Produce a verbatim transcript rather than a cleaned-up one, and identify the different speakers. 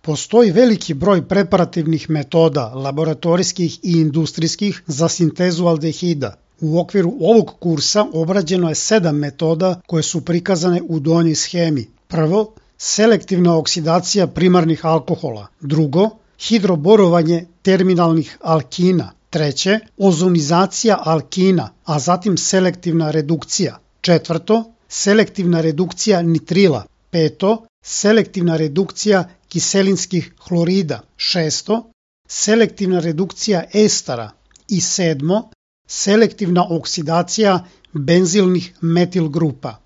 Speaker 1: Postoji veliki broj preparativnih metoda, laboratorijskih i industrijskih, za sintezu aldehida. U okviru ovog kursa obrađeno je sedam metoda koje su prikazane u donjoj schemi. Prvo, selektivna oksidacija primarnih alkohola. Drugo, hidroborovanje terminalnih alkina. Treće, ozonizacija alkina, a zatim selektivna redukcija. Četvrto, selektivna redukcija nitrila. Peto, selektivna redukcija kiselinskih hlorida. Šesto, selektivna redukcija estara. I sedmo, selektivna oksidacija benzilnih metil grupa.